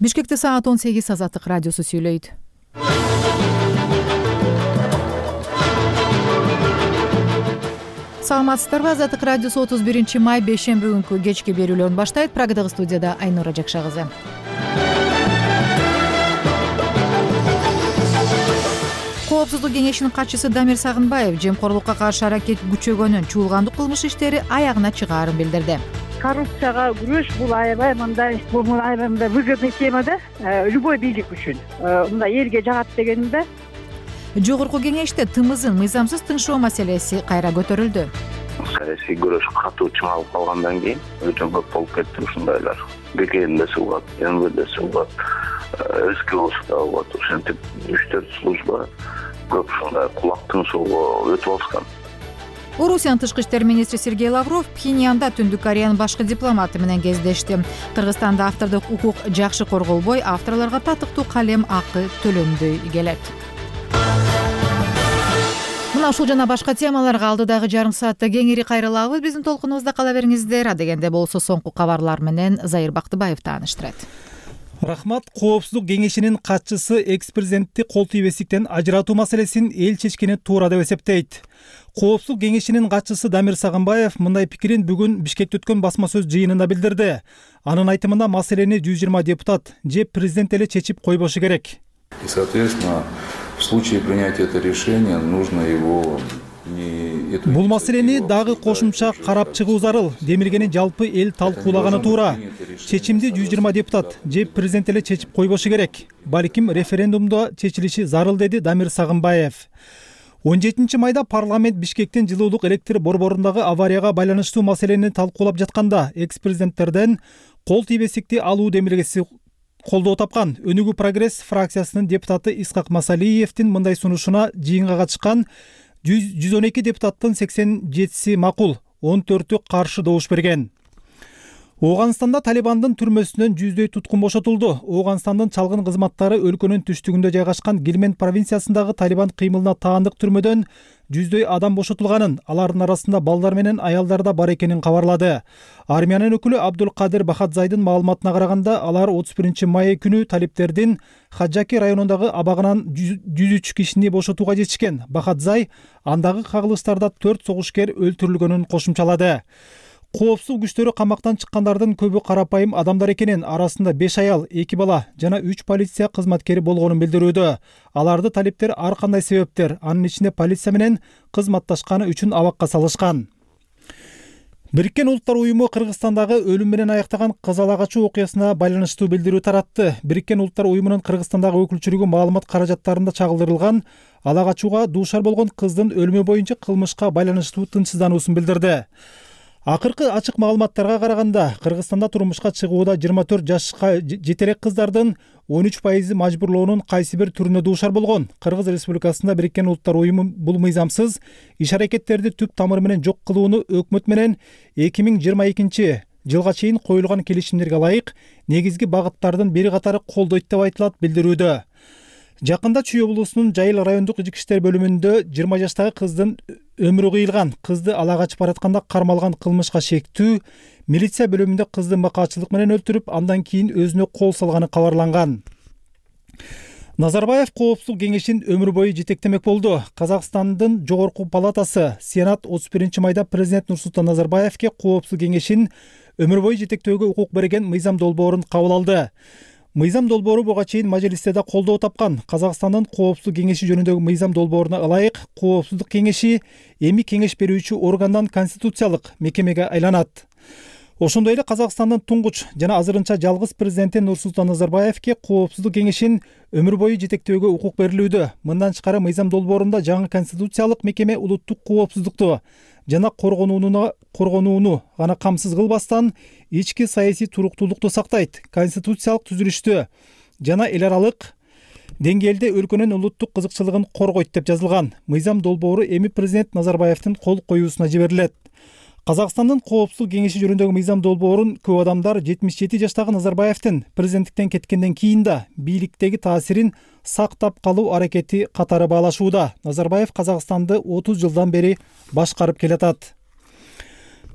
Бишкекте саат 18 Азаттык радиосу сүйлөйт. Саламатсыздарбы? Азаттык радиосу 31 май бейшемби күнкү кечки берүүлөрүн баштайт. Прагадагы студияда Айнура Жакша кызы. Коопсуздук кеңешинин катчысы Дамир Сагынбаев жемкорлукка каршы аракет күчөгөнүн, чуулгандык кылмыш иштери аягына чыгаарын билдирди. Коррупцияга күрөш бул аябай мындай выгодный тема да, любой бийлик үчүн. Мындай элге жагат дегенде. Жогорку кеңеште тымызын мыйзамсыз тыншоо маселеси кайра көтөрүлдү. Саясий күрөш катуу чыңалып калгандан кийин өтө көп болуп кетти ушундайлар. БКН да суулгат, МВД да суулгат, СКО да болот. Ошентип 3-4 служба көп ушундай кулак тыншоого өтүп алышкан. Орусиянын тышкы иштер министри Сергей Лавров Пхеньянда Түндүк Кореянын башкы дипломаты менен кездешти. Кыргызстанда автордук укук жакшы корголбой, авторлорго татыктуу калем акы төлөнбөй келет. Мына ушул жана башка темаларга алдыдагы жарым саатта кеңири кайрылабыз. Биздин толкунубузда кала бериңиздер. Адегенде болсо соңку кабарлар менен Зайыр Бактыбаев тааныштырат. Рахмат. Коопсуздук кеңешинин катчысы экс-президентти кол тийбестиктен ажыратуу маселесин эл чечкени туура деп эсептейт. Коопсуздук кеңешинин катчысы Дамир Сагынбаев мындай пикирин бүгүн Бишкекте өткөн басма сөз жыйынында билдирди. Анын айтымында маселени 120 депутат же президент эле чечип койбошу керек. И, соответственно, в случае принятия этого решения нужно его Бул маселени дагы кошумча карап чыгуу зарыл. Демилгени жалпы эл талкуулаганы туура. Чечимди 120 депутат же президент эле чечип койбошу керек. Балким референдумда чечилиши зарыл, деди Дамир Сагынбаев. 17 майда парламент Бишкектин жылуулук электр борборундагы аварияга байланыштуу маселени талкуулап жатканда экс-президенттерден кол тийбестикти алуу демилгеси колдоо тапкан. Өнүгүү прогресс фракциясынын депутаты Исхак Масалиевдин мындай сунушуна жыйынга катышкан 112 депутаттын 87си макул, 14-ü каршы добуш берген. Ооганстанда Талибандын түрмөсүнөн 100дөй туткун бошотулду. Ооганстандын чалгын кызматтары өлкөнүн түштүгүндө жайгашкан Гилмент провинциясындагы Талибан кыймылына таандык түрмөдөн 100дөй адам бошотулганын, алардын арасында балдар менен аялдар да бар экенин кабарлады. Армиянын өкүлү Абдулкадир Бахадзайдын маалыматына караганда, алар 31 май күнү талиптердин Хаджаки районундагы абагынан 103 кишини бошотууга жетишкен. Бахадзай андагы кагылыштарда 4 согушкер өлтүрүлгөнүн кошумчалады. Коопсуздук күчтөрү камактан чыккандардын көбү карапайым адамдар экенин, арасында 5 аял, 2 бала жана 3 полиция кызматкери болгонун билдирүүдө. Аларды талиптер ар кандай себептер, анын ичинде полиция менен кызматташканы үчүн абакка салышкан. Бириккен Улуттар уюму Кыргызстандагы өлүм менен аяктаган кыз ала качуу окуясына байланыштуу билдирүү таратты. Бириккен Улуттар уюмунун Кыргызстандагы өкүлчүлүгү маалымат каражаттарында чагылдырылган ала качууга дуушар болгон кыздын өлүмү боюнча кылмышка байланыштуу тынчсыздануусун билдирди. Акыркы ачык маалыматтарга караганда, Кыргызстанда турмушка чыгууда 24 жашка жете элек кыздардын 13% мажбурлоонун кайсы бир түрүнө дуушар болгон. Кыргыз Республикасында Бириккен Улуттар уюму бул мыйзамсыз иш-аракеттерди түп тамыры менен жок кылууну өкмөт менен 2022 жылга чейин коюлган келишимдерге ылайык негизги багыттардын бир катары колдойт деп айтылат билдирүүдө. Жакында Чүй облусунун Жайыл райондук ички иштер бөлүмүндө 20 жаштагы кыздын өмүрү кыйылган. Кызды ала качып баратканда кармалган кылмышка шектүү милиция бөлүмүндө кызды макаачылык менен өлтүрүп, андан кийин өзүнө кол салганы кабарланган. Назарбаев Коопсуздук кеңешин өмүр бою жетектемек болду. Казакстандын жогорку палатасы Сенат 31 майда президент Нурсултан Назарбаевке Коопсуздук кеңешин өмүр бою жетектөөгө укук берген мыйзам долбоорун кабыл алды. Мыйзам долбоору буга чейин мажилисте да колдоо тапкан. Казакстандын Коопсуздук кеңеши жөнүндөгү мыйзам долбооруна ылайык Коопсуздук кеңеши эми кеңеш берүүчү органдан конституциялык мекемеге айланат. Ошондой эле Казакстандын туңгуч жана азырынча жалгыз президенти Нурсултан Назарбаевке Коопсуздук кеңешин өмүр бою жетектөөгө укук берилүүдө. Мындан тышкары мыйзам долбоорунда жаңы конституциялык мекеме улуттук коопсуздукту жана коргонууну гана камсыз кылбастан ички саясий туруктуулукту сактайт. Конституциялык түзүлүштү жана эл аралык деңгээлде өлкөнүн улуттук кызыкчылыгын коргойт деп жазылган. Мыйзам долбоору эми президент Назарбаевдин кол коюусуна жиберилет. Казакстандын Коопсуздук кеңеши жөнүндөгү мыйзам долбоорун көп адамдар 77 жаштагы Назарбаевдин президенттиктен кеткенден кийин да бийликтеги таасирин сактап калуу аракети катары баалашууда. Назарбаев Казакстанды 30 жылдан бери башкарып келатат.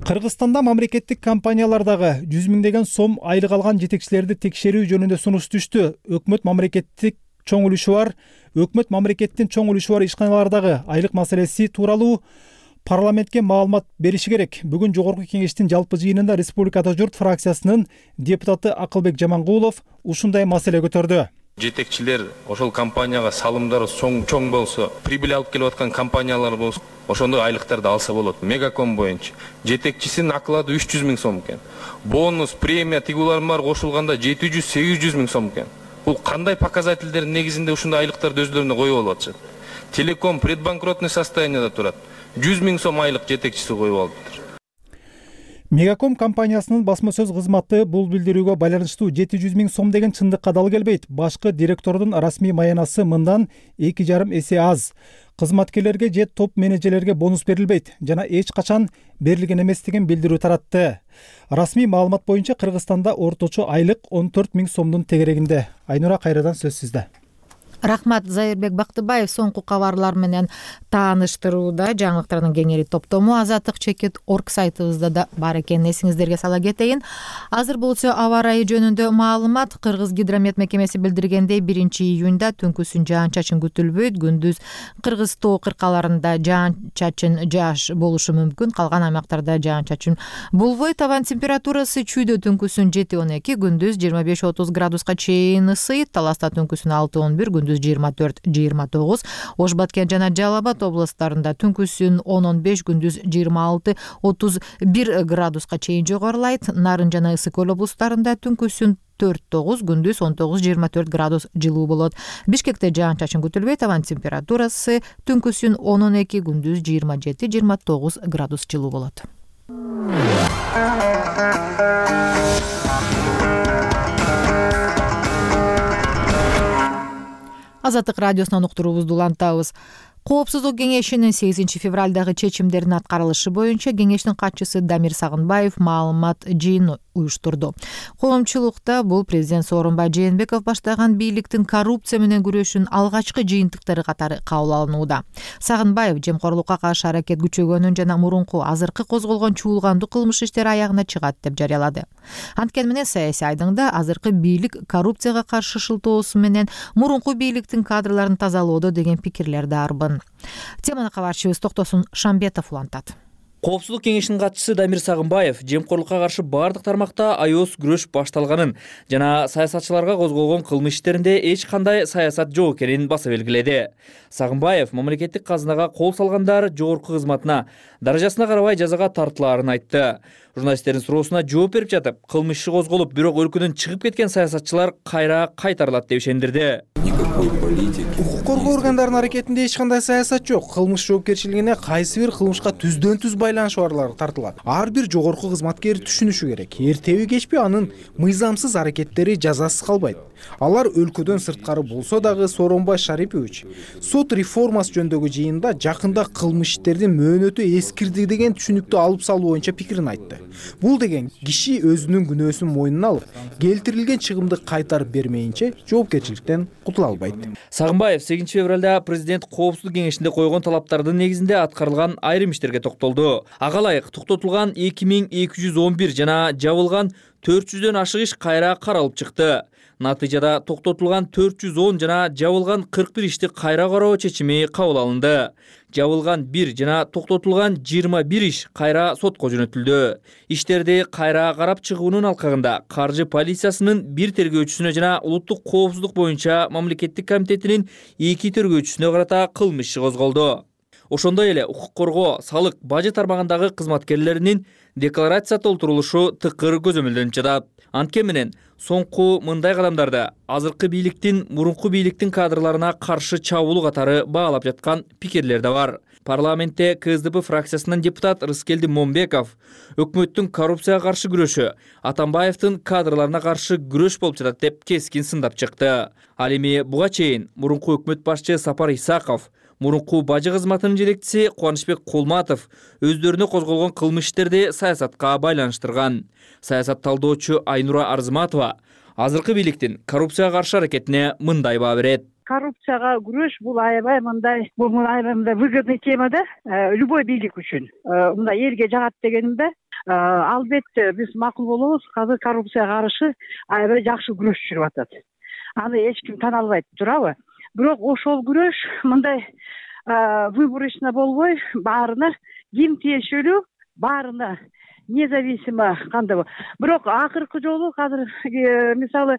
Кыргызстанда мамлекеттик компаниялардагы 100 миңдеген сом айлык алган жетекчилерди текшерүү жөнүндө сунуш түштү. Өкмөт мамлекеттин чоң үлүшү бар ишканалардагы айлык маселеси тууралуу парламентке маалымат бериши керек. Бүгүн Жогорку кеңештин жалпы жыйынында Республикада журт фракциясынын депутаты Акылбек Жамангулов ушундай маселе көтөрдү. Жетекчилер ошол компанияга салымдары чоң болсо, прибыль алып келип аткан компаниялар болсо, ошондой айлыктарды алса болот. Мегаком боюнча жетекчисинин оклады 300 миң сом экен. Бонус, премия, тигулар бар кошулганда 700-800 миң сом экен. Бул кандай показательдердин негизинде ушундай айлыктарды өздөрүнө коюп алып атышат? Телеком предбанкротный состоянияда турат. 100 миң сом айлык жетекчиси коюп алыптыр. Мегаком компаниясынын басма сөз кызматы бул билдирүүгө байланыштуу 700 миң сом деген чындыкка дал келбейт. Башкы директордун расмий маянасы мындан 2,5 эсе аз. Кызматкерлерге же топ менеджерлерге бонус берилбейт жана эч качан берилген эмес деген билдирүү таратты. Расмий маалымат боюнча Кыргызстанда орточо айлык 14 миң сомдун тегерегинде. Айнура, кайрадан сөз сизде. Рахмат. Зайырбек Бактыбаев соңку кабарлар менен тааныштырууда жаңылыктардын кеңири топтому Азаттык чекит орг сайтыбызда да бар экенин эсиңиздерге сала кетейин. Азыр болсо аба ырайы жөнүндө маалымат. Кыргыз гидромет мекемеси билдиргендей 1-июнда түнкүсүн жаан-чачын күтүлбөйт. Күндүз Кыргыз тоо кыркаларында жаан-чачын жааш болушу мүмкүн. Калган аймактарда жаан-чачын болбойт. Абан температурасы чүйдө түнкүсүн 7-12, күндүз 25-30 градуска чейин ысыйт. Таласта түнкүсүн 6-11, күндүз 24-29, Ош Баткен жана Жалал Абад областарында түнкүсүн 10-15, күндүз 26-31 градуска чейин жогорулайт. Нарын жана Ысык Көл областарында түнкүсүн 4-9, күндүз 19-24 градус жылуу болот. Бишкекте жаан-чачын күтүлбөйт. Абан температурасы түнкүсүн 10-12, күндүз 27-29 градус жылуу болот. Азаттык радиосунан уктуруубузду улантабыз. Коопсуздук кеңешинин 8 февралдагы чечимдеринин аткарылышы боюнча кеңештин катчысы Дамир Сагынбаев маалымат жыйын уюштурду. Коомчулукта бул президент Сооронбай Жээнбеков баштаган бийликтин коррупция менен күрөшүүнүн алгачкы жыйынтыктары катары кабыл алынууда. Сагынбаев жемкорлукка каршы аракет күчөгөнүн жана мурунку азыркы козголгон чуулгандуу кылмыш иштери аягына чыгат деп жарыялады. Анткени менен саясий айдыңда азыркы бийлик коррупцияга каршы шылтоосу менен мурунку бийликтин кадрларын тазалоодо деген пикирлер да арбын. Теманы кабарчыбыз Токтосун Шамбетов улантат. Коопсуздук кеңешинин катчысы Дамир Сагынбаев жемкорлукка каршы бардык тармакта аёс күрөш башталганын жана саясатчыларга козголгон кылмыш иштеринде эч кандай саясат жок экенин баса белгиледи. Сагынбаев мамлекеттик казынага кол салгандар жогорку кызматына, даражасына карабай жазага тартылаарын айтты. Журналисттердин суроосуна жооп берип жатып, кылмыш иши козголуп, бирок өлкөдөн чыгып кеткен саясатчылар кайра кайтарылат деп ишендирди. Укук коргоо органдарынын аракетинде эч кандай саясат жок. Кылмыш жоопкерчилигине кайсы бир кылмышка түздөн-түз байланышы барлар тартылат. Ар бир жогорку кызматкер түшүнүшү керек. Эртеби кечпи анын мыйзамсыз аракеттери жазасыз калбайт. Алар өлкөдөн сырткары болсо дагы Сооронбай Шарипович сот реформасы жөнүндөгү жыйында жакында кылмыш иштердин мөөнөтү эскирди деген түшүнүктү алып салуу боюнча пикирин айтты. Бул деген киши өзүнүн күнөөсүн мойнуна алып, келтирилген чыгымды кайтарып бермейинче жоопкерчиликтен кутула албайт. Сагынбаев 8 февралда президент коопсуздук кеңешинде койгон талаптардын негизинде аткарылган айрым иштерге токтолду. Ага ылайык токтотулган 2211 жана жабылган 400дөн ашык иш кайра каралып чыкты. Натыйжада токтотулган 410 жана жабылган 41 ишти кайра кароо чечими кабыл алынды. Жабылган 1 жана токтотулган 21 иш кайра сотко жөнөтүлдү. Иштерди кайра карап чыгуунун алкагында каржы полициясынын бир тергөөчүсүнө жана улуттук коопсуздук боюнча мамлекеттик комитетинин 2 тергөөчүсүнө карата кылмыш иши козголду. Ошондой эле укук коргоо, салык, бажы тармагындагы кызматкерлеринин декларация толтурулушу тыкыр көзөмөлдөнүп жатат. Анткени менен соңку мындай кадамдарды азыркы бийликтин мурунку бийликтин кадрларына каршы чабуул катары баалап жаткан пикирлер да бар. Парламентте КСДП фракциясынын депутат Рыскелди Момбеков өкмөттүн коррупцияга каршы күрөшү Атамбаевдин кадрларына каршы күрөш болуп жатат деп кескин сындап чыкты. Ал эми буга чейин мурунку өкмөт башчы Сапар Исаков, мурунку бажы кызматынын жетекчиси Кубанычбек Кулматов өздөрүнө козголгон кылмыш иштерди саясатка байланыштырган. Саясат талдоочу Айнура Арзыматова азыркы бийликтин коррупцияга каршы аракетине мындай баа берет. Коррупцияга күрөш бул аябай мындай выгодный тема да, любой бийлик үчүн. Мындай элге жагат дегенимде, Албетте биз макул болобуз. Азыр коррупцияга каршы аябай жакшы күрөш жүрүп атат. Аны эч ким тана албайт, туурабы? Бирок ошол күрөш мындай выборочно болбой, баарына ким тиешелүү, баарына независимо кандай. Бирок акыркы жолу азыр мисалы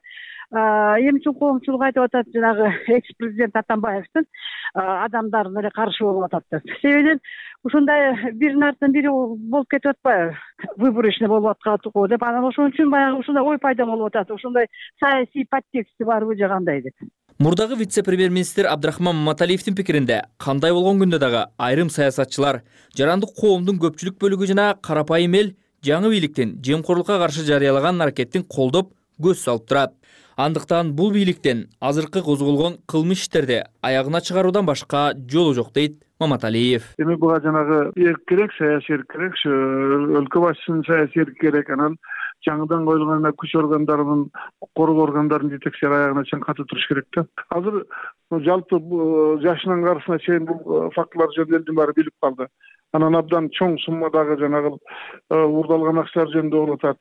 эмчи коомчулук айтып атат, жанагы экс-президент Атамбаевдин адамдарын эле каршы болуп атат деп. Себебинен ушундай биринин артынан бири болуп кетип атпайбы? Выборочный болуп атканбы деп, анан ошон үчүн баягы ушундай ой пайда болуп атат. Ушундай саясий подтексти барбы же кандай деп. Мурдагы вице-премьер-министр Абдрахман Маматалиевдин пикиринде, кандай болгон күндө дагы айрым саясатчылар, жарандык коомдун көпчүлүк бөлүгү жана карапайым эл жаңы бийликтин жемкорлукка каршы жарыялаган аракеттин колдоп көз салып турат. Андыктан бул бийликтен азыркы козголгон кылмыш иштерди аягына чыгаруудан башка жолу жок дейт Маматалиев. Эми буга жанагы эрк керек, саясий эрк керек, өлкө башчысынын саясий эрки керек, анан жаңыдан коюлган күч органдарынын, коргоо органдарынын жетекчилери аягына чейин катуу туруш керек да. Азыр жалпы жашынан карысына чейин бул фактылар жөнүндө элдин баары билип калды. Анан абдан чоң суммадагы жанагы уурдалган акчалар жөнүндө болуп атат.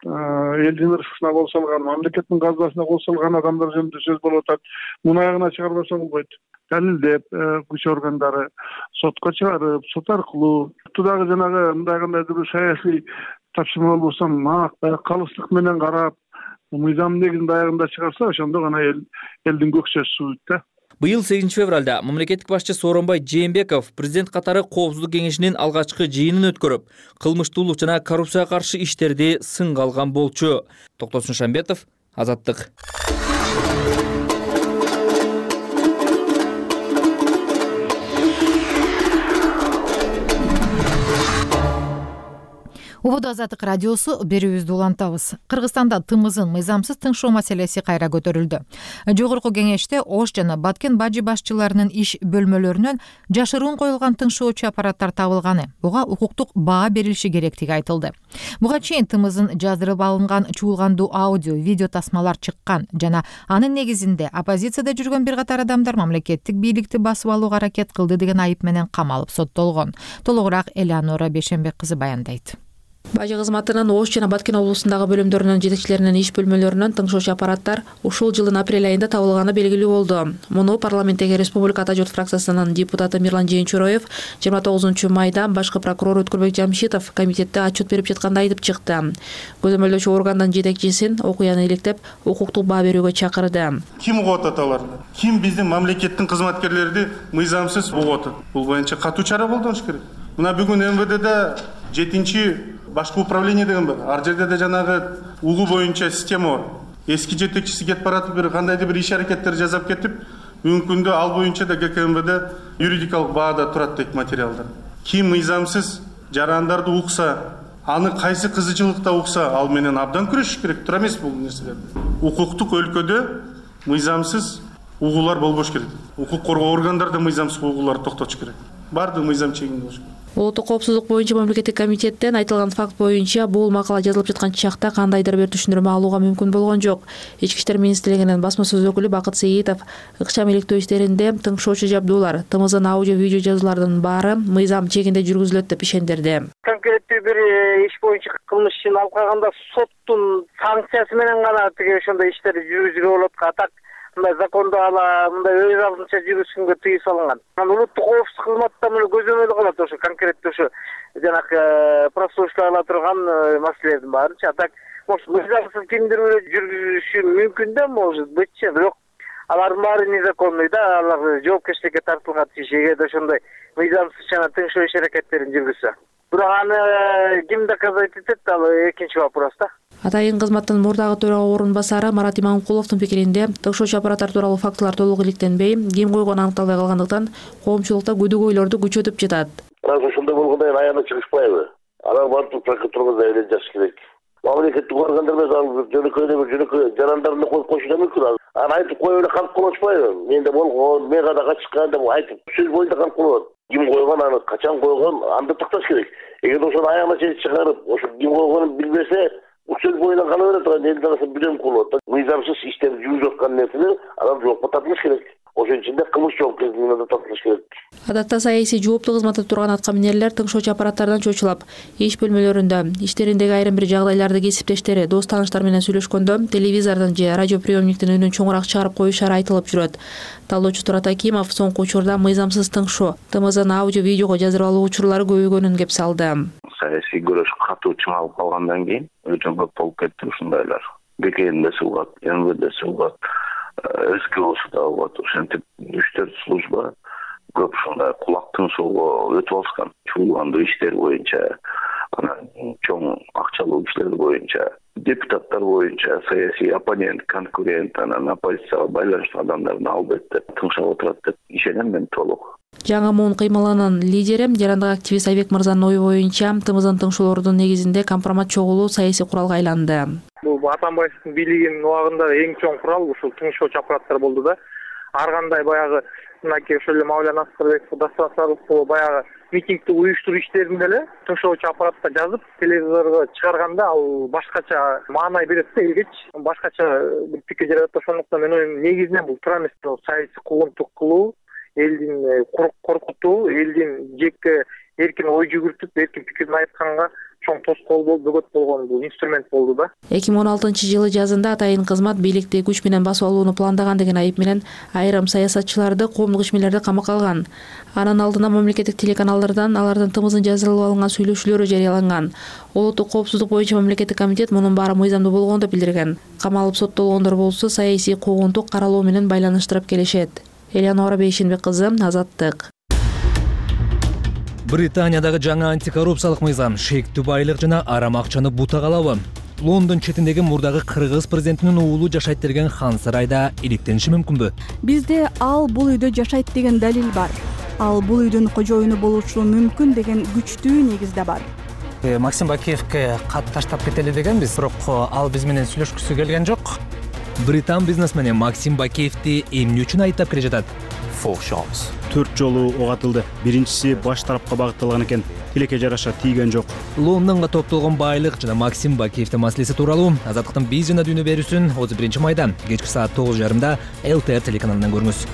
Элдин ырысына кол салган, мамлекеттин казынасына кол салган адамдар жөнүндө сөз болуп атат. Муну аягына чыгарбаса болбойт. Далилдеп, күч органдары сотко чыгарып, сот аркылуу дагы жанагы мындай кандайдыр бир саясий тапшырма болбосо, калыстык менен карап, мыйзам негизинде аягында чыгарса, ошондо гана элдин көкчөсү сууйт да. Быйыл 8 февралда мамлекеттик башчы Сооронбай Жээнбеков президент катары Коопсуздук кеңешинин алгачкы жыйынын өткөрүп, кылмыштуулук жана коррупцияга каршы иштерди сынга алган болчу. Токтосун Шамбетов, Азаттык. Убуду Азаттык радиосу берүүбүздү улантабыз. Кыргызстанда тымызын мыйзамсыз тыңшоо маселеси кайра көтөрүлдү. Жогорку кеңеште Ош жана Баткен бажы башчыларынын иш бөлмөлөрүнөн жашыруун коюлган тыңшоочу аппараттар табылганы, буга укуктук баа берилиши керектиги айтылды. Буга чейин тымызын жаздырып алынган чуулгандуу аудио, видео тасмалар чыккан жана анын негизинде оппозицияда жүргөн бир катар адамдар мамлекеттик бийликти басып алууга аракет кылды деген айып менен камалып соттолгон. Толугураак Элеонора Бешенбек кызы баяндайт. Бажы кызматынын Ош жана Баткен облусундагы бөлүмдөрүнүн жетекчилеринин иш бөлмөлөрүнөн тыңшоочу аппараттар ушул жылдын апрель айында табылганы белгилүү болду. Муну парламенттеги Республика Ата журт фракциясынын депутаты Мирлан Жээнчуроев 29 майда башкы прокурор Өткүрбек Жамшитов комитетте отчет берип жатканда айтып чыкты. Көзөмөлдөөчү органдын жетекчисин окуяны иликтеп, укуктук баа берүүгө чакырды. Ким угуп атат аларды? Ким биздин мамлекеттин кызматкерлерди мыйзамсыз угуп атат? Бул боюнча катуу чара колдонуш керек. Мына бүгүн МВДде 7-чи башкы управление деген бар. Ар жерде да жанагы угуу боюнча система бар. Эски жетекчиси кетип баратып, бир кандайдыр бир иш аракеттер жасап кетип, бүгүнкү күндө ал боюнча да ГКМВД юридикалык баада турат дейт материалдар. Ким мыйзамсыз жарандарды укса, аны кайсы кызычылыкта укса, ал менен абдан күрөшүш керек. Тура эмес бул нерселер. Укуктук өлкөдө мыйзамсыз угуулар болбош керек. Укук коргоо органдары да мыйзамсыз угууларды токтотуш керек. Бардыгы мыйзам чегинде болуш керек. Улуттук коопсуздук боюнча мамлекеттик комитеттен айтылган факт боюнча бул макала жазылып жаткан чакта кандайдыр бир түшүндүрмө алууга мүмкүн болгон жок. Ички иштер министрлигинин басма сөз өкүлү Бакыт Сейитов ыкчам иликтөө иштеринде тыңшоочу жабдуулар, тымыздын аудио видео жазуулардын баары мыйзам чегинде жүргүзүлөт деп ишендирди. Конкреттүү бир иш боюнча кылмыш ишин алып калганда соттун санкциясы менен гана тиги ошондой иштерди жүргүзүүгө болот. Так мындай закондо мындай өз алдынча жүргүзгөнгө тыюу салынган. Анан улуттук коопсуздук кызматта мына көзөмөл кылат ошо конкреттүү ошо жанагы прослушка ала турган маселелердин баарынча. Так мыйзамсыз кимдир жүргүзүшү мүмкүн да, может быть, бирок алардын баары незаконный да, алар жоопкерчиликке тартылган эгер ошондой мыйзамсыз жана тыңшоо иш аракеттерин жүргүзсө. Бирок аны ким доказать этет, ал экинчи вопрос да. Атайын кызматтын мурдагы төрага орун басары Марат Иманкуловдун пикиринде тыңшоочу аппараттар тууралуу фактылар толук иликтенбей, ким койгону аныкталбай калгандыктан коомчулукта күдүгөйлөрдү күчөтүп жатат. Ошондой болгондо аягына чыгышпайбы? Анан барып прокуратурага заявление жазыш керек. Мамлекеттик органдар жөнөкөй жарандарын коюп коюшу да мүмкүн. Аны айтып коюп эле калып калышпайбы? Менде болгон, мен кадагы чыккан деп айтып сөз боюнча калып калат. Ким койгон, аны качан койгон, аны такташ керек. Эгер ошону аягына чейин чыгарып, ошо ким койгонун билбесе, сөз боюнан кала берет, элдин арасында билем кылып атат. Мыйзамсыз иштерди жүргүзүп аткан нерсени адам жоопко тартылыш керек. Ошо ичинде кылмыш жоопкерчилигине да тартылыш керек. Адатта саясий жооптуу кызматта турган атка минерлер тыңшоочу аппараттардан чочулап, иш бөлмөлөрүндө иштериндеги айрым бир жагдайларды кесиптештери, дос тааныштар менен сүйлөшкөндө телевизордон же радиоприемниктин үнүн чоңураак чыгарып коюшары айтылып жүрөт. Талоочу Турат Акимов соңку учурда мыйзамсыз тыңшоо, ТМЗны аудио-видеого жаздырып алуу учурлары көбөйгөнүн кеп салды. Саясий күрөш катуу чыңалып калгандан кийин өчө көп болуп кетти ушундайлар. БКНде сылгат, МВД сылгат, СКОсу да болот. Ошентип 3-4 служба көп ушундай кулак тыңшоого өтүп алышкан. Чуулгандуу иштер боюнча, анан чоң акчалуу иштер боюнча, депутаттар боюнча, саясий оппонент, конкурент, анан оппозицияга байланыштуу адамдарды албетте тыңшап отурат деп ишенем мен толук. Жаңы муун кыймылынын лидери, жарандык активист Айбек мырзанын ою боюнча, ТМЗнын тыңшоолордун негизинде компромат чогулуу саясий куралга айланды. Бул Атамбаевдин бийлигинин убагында эң чоң курал ушул тыңшоочу аппараттар болду да. Ар кандай баягы мынакей ошол эле Мавлян Аскарбеков, Дастан Сарыповго баягы митингди уюштуруу иштеринде эле тыңшоочу аппаратка жазып, телевизорго чыгарганда ал башкача маанай берет да элгечи. Башкача бир пикир жаратат. Ошондуктан мен оюм негизинен бул туура эмес. Саясий куугунтук кылуу, элдин коркутуу, элдин жеке эркин ой жүгүртүп, эркин пикирин айтканга чоң тоскоол болуп, бөгөт болгон бул инструмент болду да. 2016-жылы жазында атайын кызмат бийликти күч менен басып алууну пландаган деген айып менен айрым саясатчыларды, коомдук ишмерлерди камакка алган. Анын алдына мамлекеттик телеканалдардан алардын ТМЗын жаздырылып алынган сүйлөшүүлөрү жарыяланган. Улуттук коопсуздук боюнча мамлекеттик комитет мунун баары мыйзамдуу болгон деп билдирген. Камалып соттолгондор болсо саясий куугунтук каралоо менен байланыштырып келишет. Элеонора Бейшенбек кызы, Азаттык. Британиядагы жаңы антикоррупциялык мыйзам шектүү байлык жана арам акчаны бутага алабы? Лондон четиндеги мурдагы кыргыз президентинин уулу жашайт деген хан сарайда иликтениши мүмкүнбү? Бизде ал бул үйдө жашайт деген далил бар. Ал бул үйдүн кожоюну болушу мүмкүн деген күчтүү негиз да бар. Максим Бакиевке кат таштап кетели дегенбиз, бирок ал биз менен сүйлөшкүсү келген жок. Британ бизнесмени Максим Бакиевди эмне үчүн айыптап келе жатат? 4 жолу ок атылды. Биринчиси баш тарапка багытталган экен. Тилекке жараша тийген жок. Лондонго топтолгон байлык жана Максим Бакиевдин маселеси тууралуу Азаттыктын биз жана дүйнө берүүсүн 31-майда кечки саат 9:30 ЛТР телеканалынан көрүңүз.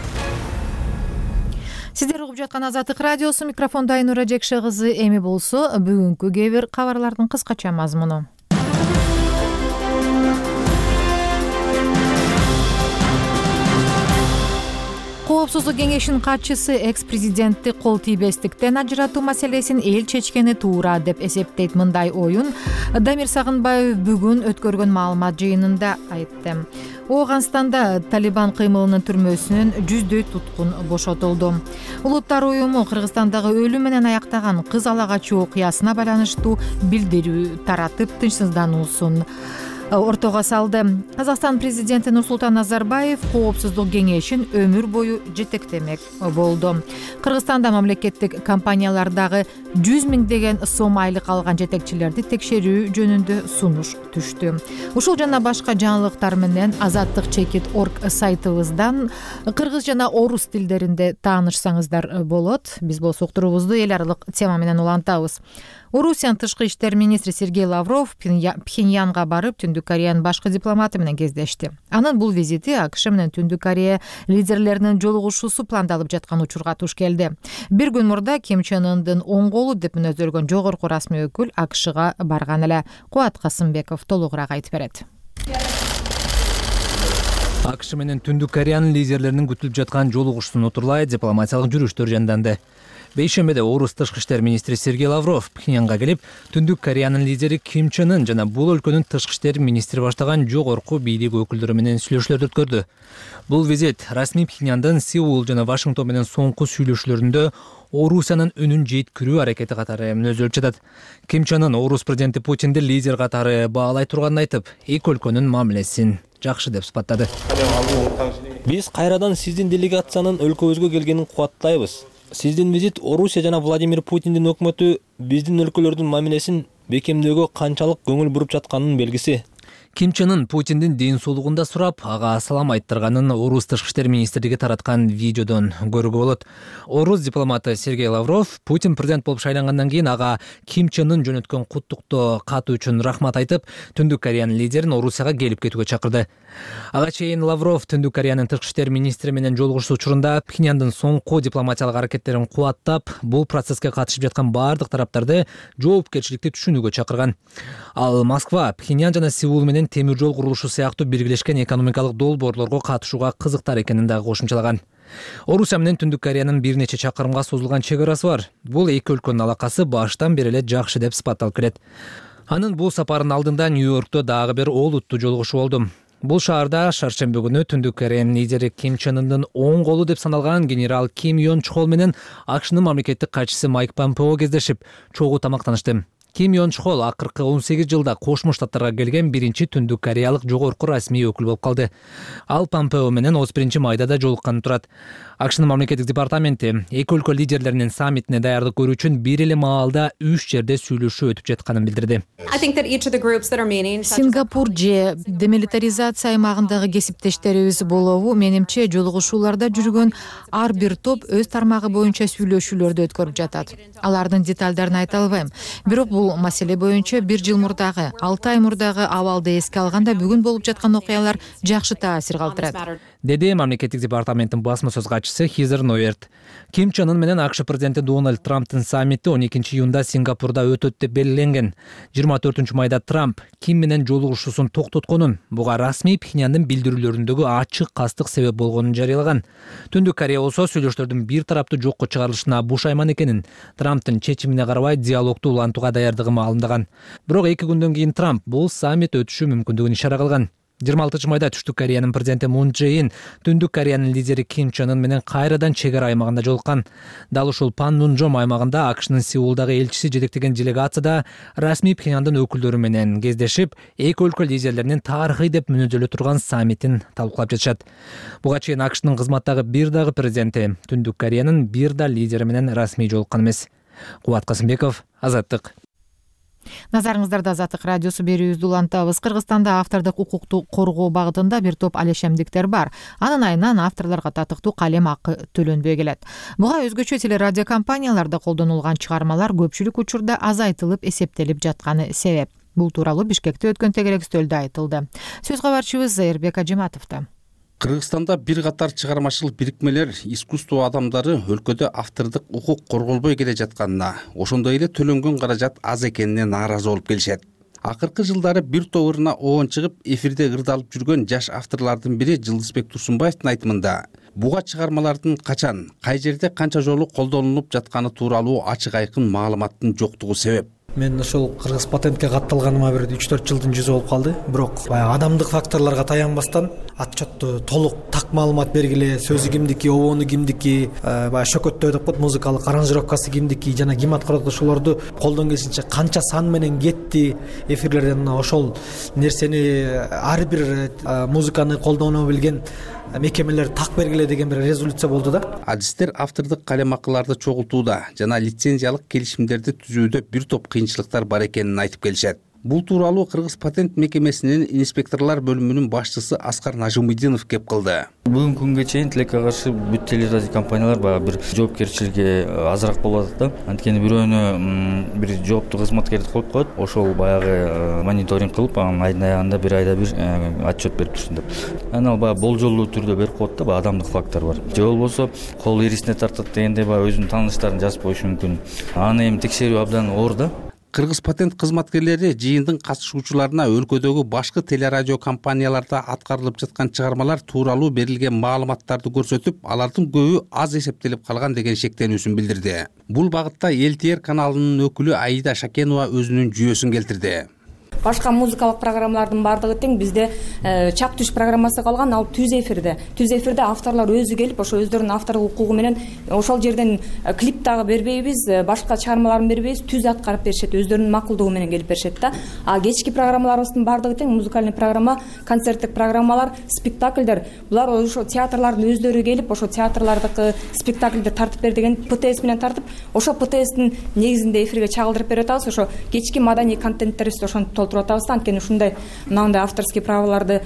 Сиздер угуп жаткан Азаттык радиосу, микрофондо Айнура Жекше кызы. Эми болсо бүгүнкү кээ бир кабарлардын кыскача мазмуну. Коопсуздук кеңешинин катчысы экс-президентти кол тийбестиктен ажыратуу маселесин эл чечкени туура деп эсептейт. Мындай оюн Дамир Сагынбаев бүгүн өткөргөн маалымат жыйынында айтты. Ооганстанда Талибан кыймылынын түрмөсүнөн 100дөй туткун бошотулду. Улуттар уюму Кыргызстандагы өлүм менен аяктаган кыз алагачуу окуясына байланыштуу билдирүү таратып тынчсыздануусун ортого салды. Казакстан президенти Нурсултан Назарбаев коопсуздук кеңешин өмүр бою жетектемек болду. Кыргызстанда мамлекеттик компаниялардагы 100 миңдеген сом айлык алган жетекчилерди текшерүү жөнүндө сунуш түштү. Ушул жана башка жаңылыктар менен Azattik.org сайтыбыздан кыргыз жана орус тилдеринде таанышсаңыздар болот. Биз болсо уктуруубузду эл аралык тема менен улантабыз. Орусиянын тышкы иштер министри Сергей Лавров Пхеньянга барып, Түндүк Кореянын башкы дипломаты менен кездешти. Анын бул визити АКШ менен Түндүк Корея лидерлеринин жолугушуусу пландалып жаткан учурга туш келди. Бир күн мурда Ким Чен Ындын оң колу деп мүнөздөлгөн жогорку расмий өкүл АКШга барган эле. Кубат Касымбеков толугураак айтып берет. АКШ менен Түндүк Кореянын лидерлеринин күтүлүп жаткан жолугушуусун утурлай дипломатиялык жүрүштөр жанданды. Бейшембиде орус тышкы иштер министри Сергей Лавров Пхеньянга келип, Түндүк Кореянын лидери Ким Чен Ын жана бул өлкөнүн тышкы иштер министри баштаган жогорку бийлик өкүлдөрү менен сүйлөшүүлөрдү өткөрдү. Бул визит расмий Пхеньяндын Сеул жана Вашингтон менен соңку сүйлөшүүлөрүндө Орусиянын үнүн жеткирүү аракети катары мүнөздөлүп жатат. Ким Чен Ын орус президенти Путинди лидер катары баалай турганын айтып, эки өлкөнүн мамилесин жакшы деп сыпаттады. Биз кайрадан сиздин делегациянын өлкөбүзгө келгенин кубаттайбыз. Сиздин визит Орусия жана Владимир Путиндин өкмөтү биздин өлкөлөрдүн мамилесин бекемдөөгө канчалык көңүл буруп жатканынын белгиси. Ким Чен Ын Путиндин ден соолугунда сурап, ага салам айттырганын орус тышкы иштер министрлиги тараткан видеодон көрүүгө болот. Орус дипломаты Сергей Лавров Путин президент болуп шайлангандан кийин ага Ким Чен Ын жөнөткөн куттуктоо каты үчүн рахмат айтып, Түндүк Кореянын лидерин Орусияга келип кетүүгө чакырды. Ага чейин Лавров Түндүк Кореянын тышкы иштер министри менен жолугушуу учурунда Пхеньяндын соңку дипломатиялык аракеттерин кубаттап, бул процесске катышып жаткан бардык тараптарды жоопкерчиликти түшүнүүгө чакырган. Ал Москва, Пхеньян жана Сеул менен темир жол курулушу сыяктуу биргелешкен экономикалык долбоорлорго катышууга кызыктар экенин дагы кошумчалаган. Орусия менен Түндүк Кореянын бир нече чакырымга созулган чек арасы бар. Бул эки өлкөнүн алакасы баштан бери эле жакшы деп сыпатталып келет. Анын бул сапарынын алдында Нью-Йоркто дагы бир олуттуу жолугушуу болду. Бул шаарда шаршемби күнү Түндүк Кореянын лидери Ким Чен Ындын оң колу деп саналган генерал Ким Йон Чхол менен АКШнын мамлекеттик катчысы Майк Помпео кездешип, чогуу тамактанышты. Ким Йон Чхол акыркы 18 жылда Кошмо Штаттарга келген биринчи түндүк кореялык жогорку расмий өкүл болуп калды. Ал Помпео менен 31 майда да жолукканы турат. АКШнын мамлекеттик департаменти эки өлкө лидерлеринин саммитине даярдык көрүү үчүн бир эле маалда 3 жерде сүйлөшүү өтүп жатканын билдирди. Сингапур же демилитаризация аймагындагы кесиптештерибиз болобу, менимче жолугушууларда жүргөн ар бир топ өз тармагы боюнча сүйлөшүүлөрдү өткөрүп жатат. Алардын деталдарын айта албайм. Бирок бул маселе боюнча 1 жыл мурдагы, 6 ай мурдагы абалды эске алганда бүгүн болуп жаткан окуялар жакшы таасир калтырат, деди мамлекеттик департаменттин басма сөз катчысы Хизер Ноерт. Ким Чен Ын менен АКШ президенти Дональд Трамптын саммити 12 июнда Сингапурда өтөт деп белгиленген. 24 майда Трамп Ким менен жолугушуусун токтотконун, буга расмий Пхеньяндын билдирүүлөрүндөгү ачык кастык себеп болгонун жарыялаган. Түндүк Корея болсо сүйлөштөрдүн бир тараптуу жокко чыгарылышына бушайман экенин, Трамптын чечимине карабай диалогду улантууга даярдыгын маалымдаган. Бирок 2 күндөн кийин Трамп бул саммит өтүшү мүмкүндүгүн ишара кылган. 26 майда Түштүк Кореянын президенти Мун Чже Ин Түндүк Кореянын лидери Ким Чен Ын менен кайрадан чек ара аймагында жолуккан. Дал ушул Панмунжом аймагында АКШнын Сеулдагы элчиси жетектеген делегацияда расмий Пхеньяндын өкүлдөрү менен кездешип, эки өлкө лидерлеринин тарыхый деп мүнөздөлө турган саммитин талкуулап жатышат. Буга чейин АКШнын кызматтагы бир дагы президенти Түндүк Кореянын бир да лидери менен расмий жолуккан эмес. Кубат Касымбеков, Азаттык. Назарыңыздарда Азаттык радиосу берүүбүздү улантабыз. Кыргызстанда автордук укукту коргоо багытында бир топ алешемдиктер бар. Анын айынан авторлорго татыктуу калем акы төлөнбөй келет. Буга өзгөчө телерадио компанияларда колдонулган чыгармалар көпчүлүк учурда азайтылып эсептелип жатканы себеп. Бул тууралуу Бишкекте өткөн тегерек стөлдө айтылды. Сөз кабарчыбыз Зайырбек Ажиматовдо. Кыргызстанда бир катар чыгармачылык бирикмелер, искусство адамдары өлкөдө автордук укук корголбой келе жатканына, ошондой эле төлөнгөн каражат аз экенине нааразы болуп келишет. Акыркы жылдары бир топ ырына оон чыгып, эфирде ырдалып жүргөн жаш авторлордун бири Жылдызбек Турсунбаевдин айтымында, буга чыгармалардын качан, кай жерде канча жолу колдонулуп жатканы тууралуу ачык айкын маалыматтын жоктугу себеп. Мен ошол кыргыз патентке катталганыма бир 3-4 жылдын жүзү болуп калды. Бирок адамдык факторлорго таянбастан отчетту толук так маалымат бергиле, сөзү кимдики, обону кимдики, шөкөттөө деп коет, музыкалык аранжировкасы кимдики жана ким аткарат, ошолорду колдон келишинче канча сан менен кетти эфирлерден, ошол нерсени ар бир музыканы колдоно билген мекемелер так бергиле деген бир резолюция болду да. Адистер автордук калем акыларды чогултууда жана лицензиялык келишимдерди түзүүдө бир топ кыйынчылыктар бар экенин айтып келишет. Бул тууралуу Кыргыз патент мекемесинин инспекторлор бөлүмүнүн башчысы Аскар Нажымидинов кеп кылды. Бүгүнкү күнгө чейин тилекке каршы бүт телерадио компаниялар баягы бир жоопкерчилиги азыраак болуп атат да. Анткени бирөөнү бир жооптуу кызматкерди коюп коет, ошол баягы мониторинг кылып, анын айдын аягында бир айда бир отчет берип турсун деп. Анан ал баягы болжолдуу түрдө берип коет да, баягы адамдык фактор бар. Же болбосо кол эрисине тартат дегендей баягы өзүнүн тааныштарын жазып коюшу мүмкүн. Аны эми текшерүү абдан оор да. Кыргыз патент кызматкерлери жыйындын катышуучуларына өлкөдөгү башкы телерадио компанияларда аткарылып жаткан чыгармалар тууралуу берилген маалыматтарды көрсөтүп, алардын көбү аз эсептелип калган деген шектенүүсүн билдирди. Бул багытта ЛТР каналынын өкүлү Аида Шакенова өзүнүн жүйөсүн келтирди. Башка музыкалык программалардын бардыгы тең, бизде чак түш программасы калган, ал түз эфирде. Түз эфирде авторлор өзү келип, ошо өздөрүнүн авторлук укугу менен ошол жерден клип дагы бербейбиз, башка чыгармаларын бербейбиз, түз аткарып беришет, өздөрүнүн макулдугу менен келип беришет да. А кечки программаларыбыздын бардыгы тең, музыкальный программа, концерттик программалар, спектакльдер. Булар ошо театрлардын өздөрү келип, ошо театрлардыкы спектакльди тартып бер деген ПТС менен тартып, ошо ПТСтин негизинде эфирге чагылдырып берип атабыз. Ошо кечки маданий контенттерибизди ошентип отуруп атабыз да, анткени ушундай мынандай авторский праволорду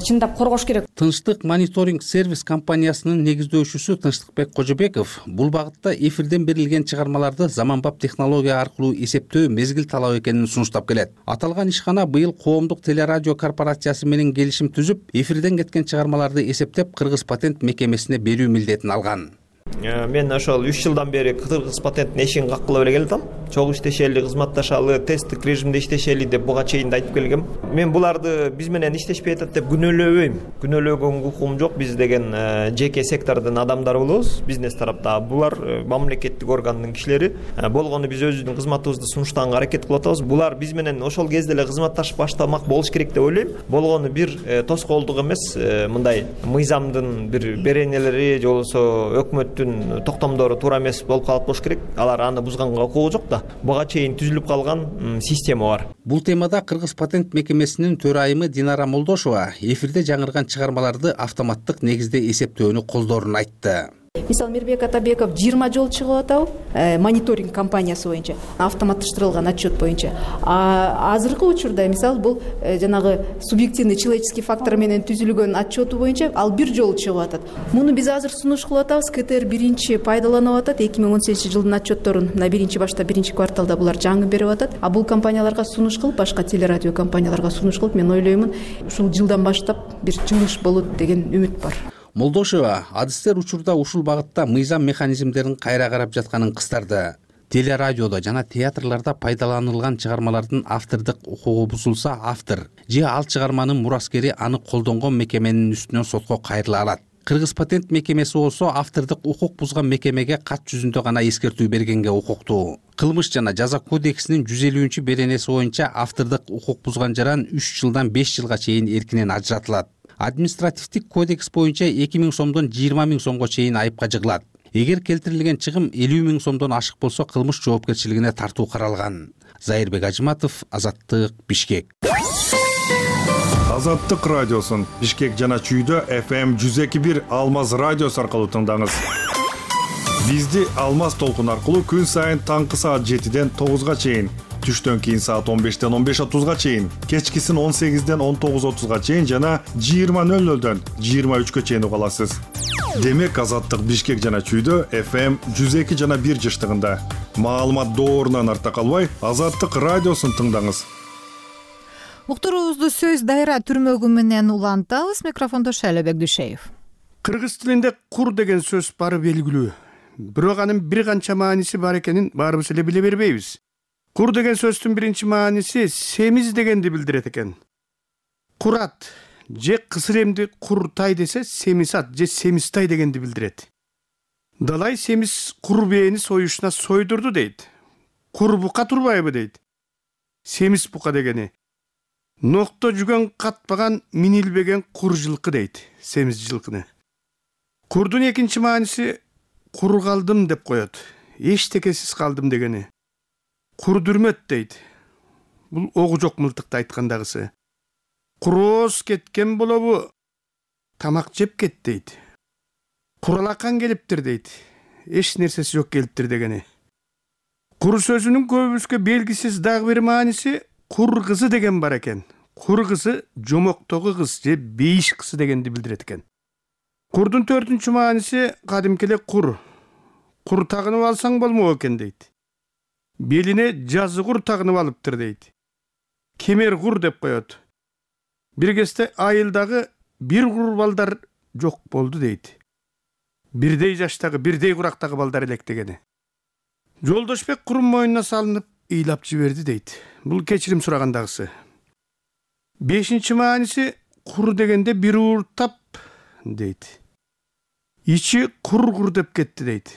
чындап коргош керек. Тынчтык мониторинг сервис компаниясынын негиздөөчүсү Тынчтыкбек Кожобеков бул багытта эфирден берилген чыгармаларды заманбап технология аркылуу эсептөө мезгил талап экенин сунуштап келет. Аталган ишкана быйыл Коомдук телерадио корпорациясы менен келишим түзүп, эфирден кеткен чыгармаларды эсептеп Кыргыз патент мекемесине берүү милдетин алган. Мен ошол 3 жылдан бери Кыргыз патенттин эшигин каккылап эле келатам. Чогуу иштешели, кызматташалы, тесттик режимде иштешели деп буга чейин да айтып келгем. Мен буларды биз менен иштешпей атат деп күнөөлөбөйм. Күнөөлөгөнгө укугум жок. Биз деген жеке сектордун адамдары болобуз. Бизнес тарапта булар мамлекеттик органдын кишилери. Болгону биз өзүбүздүн кызматыбызды сунуштаганга аракет кылып атабыз. Булар биз менен ошол кезде эле кызматташып баштамак болуш керек деп ойлойм. Болгону бир тоскоолдук эмес, мындай мыйзамдын бир беренелери же болбосо өкмөттүн токтомдору туура эмес болуп калат болуш керек. Алар аны бузганга укугу жок да. Буга чейин түзүлүп калган система бар. Бул темада Кыргыз патент мекемесинин төрайымы Динара Молдошова эфирде жаңырган чыгармаларды автоматтык негизде эсептөөнү колдоорун айтты. Мисалы Мирбек Атабеков 20 жол чыгып атабы мониторинг компаниясы боюнча, автоматташтырылган отчет боюнча. Азыркы учурда мисалы бул жанагы субъективный человеческий фактор менен түзүлгөн отчету боюнча ал 1 жол чыгып атат. Муну биз азыр сунуш кылып атабыз. КТР биринчи пайдаланып атат. 2018 жылдын отчетторун мына биринчи башта биринчи кварталда булар жаңы берип атат. А бул компанияларга сунуш кылып, башка телерадио компанияларга сунуш кылып, мен ойлоймун, ушул жылдан баштап бир жылыш болот деген үмүт бар. Молдошева адистер учурда ушул багытта мыйзам механизмдерин кайра карап жатканын кыстарды. Телерадиодо жана театрларда пайдаланылган чыгармалардын автордук укугу бузулса, автор же ал чыгарманын мураскери аны колдонгон мекеменин үстүнөн сотко кайрыла алат. Кыргыз патент мекемеси болсо автордук укук бузган мекемеге кат жүзүндө гана эскертүү бергенге укуктуу. Кылмыш жана жаза кодексинин 150 беренеси боюнча автордук укук бузган жаран 3 жылдан 5 жылга чейин эркинен ажыратылат. Административдик кодекс боюнча 2000 сомдон 20 000 сомго чейин айыпка жыгылат. Эгер келтирилген чыгым 50 000 сомдон ашык болсо кылмыш жоопкерчилигине тартуу каралган. Зайырбек Ажыматов, Азаттык, Бишкек. Азаттык радиосун Бишкек жана Чүйдө FM 102.1 Алмаз радиосу аркылуу тыңдаңыз. Бизди Алмаз толкун аркылуу күн сайын таңкы саат 7ден 9га чейин, түштөн кийин саат 15ден 15:30га чейин, кечкисин 18ден 19:30га чейин жана 20:00дөн 23га чейин уга аласыз. Демек Азаттык Бишкек жана Чүйдө FM 102 жана 1 жыштыгында. Маалымат доорунан арта калбай, Азаттык радиосун тыңдаңыз. Уктуруубузду сөз дайра түрмөгү менен улантабыз. Микрофондо Шайлебек Дүйшеев. Кыргыз тилинде кур деген сөз бары белгилүү. Бирок анын бир канча мааниси бар экенин баарыбыз эле биле бербейбиз. Кур деген сөздүн биринчи мааниси семиз дегенди билдирет экен. Курат же кысыр эмди куртай десе семисат же семистай дегенди билдирет. Далай семиз кур бээни союшуна сойдурду дейт. Кур бука турбайбы дейт. Семиз бука дегени. Нокто жүгөн катпаган минилбеген кур жылкы дейт, семиз жылкыны. Курдун экинчи мааниси кур калдым деп коет. Эчтекесиз калдым дегени. Кур дүрмөт дейт. Бул огу жок мылтыкты айткандагысы. Курооз кеткен болобу, тамак жеп кет дейт. Куралакан келиптир дейт. Эч нерсеси жок келиптир дегени. Кур сөзүнүн көбүбүзгө белгисиз дагы бир мааниси кур кызы деген бар экен. Кур кызы жомоктогу кыз же бейиш кызы дегенди билдирет экен. Курдун төртүнчү мааниси кадимки эле кур. Кур тагынып алсаң болмок экен дейт. Белине жазы кур тагынып алыптыр дейт. Кемер кур деп коет. Бир кезде айылдагы бир кур балдар жок болду дейт. Бирдей жаштагы, бирдей курактагы балдар элек дегени. Жолдошбек курун мойнуна салынып ыйлап жиберди дейт. Бул кечирим сурагандагысы. Бешинчи мааниси кур дегенде бир ууртап дейт. Ичи кур деп кетти дейт.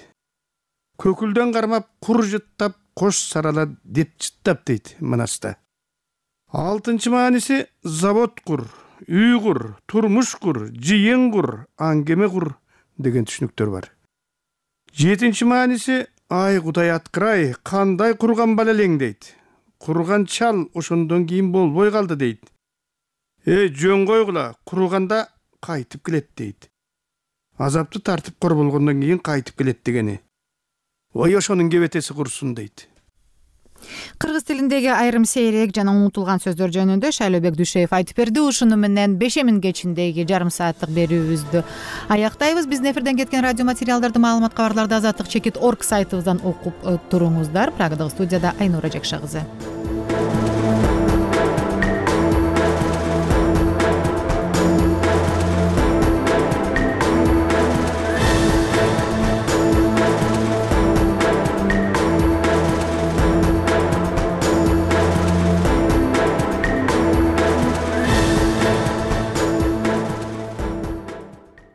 Көкүлдөн кармап кур жыттап кош сарала деп жыттап дейт Манаста. Алтынчы мааниси завод кур, үй кур, турмуш кур, жыйын кур, аңгеме кур деген түшүнүктөр бар. Жетинчи мааниси ай Кудай аткырай, кандай курган бала элең дейт. Курган чал ошондон кийин болбой калды дейт. Жөн койгула, курганда кайтып келет дейт. Азапты тартып кор болгондон кийин кайтып келет дегени. Ой ошонун кебетеси курсун дейт. Кыргыз тилиндеги айрым сейрек жана унутулган сөздөр жөнүндө Шайлообек Дүйшөев айтып берди. Ушуну менен 5 кечиндеги жарым сааттык берүүбүздү аяктайбыз. Биздин эфирден кеткен радио материалдарды, маалымат кабарларды азаттык чекит.org сайтыбыздан окуп туруңуздар. Прагадагы студияда Айнура Жакша кызы.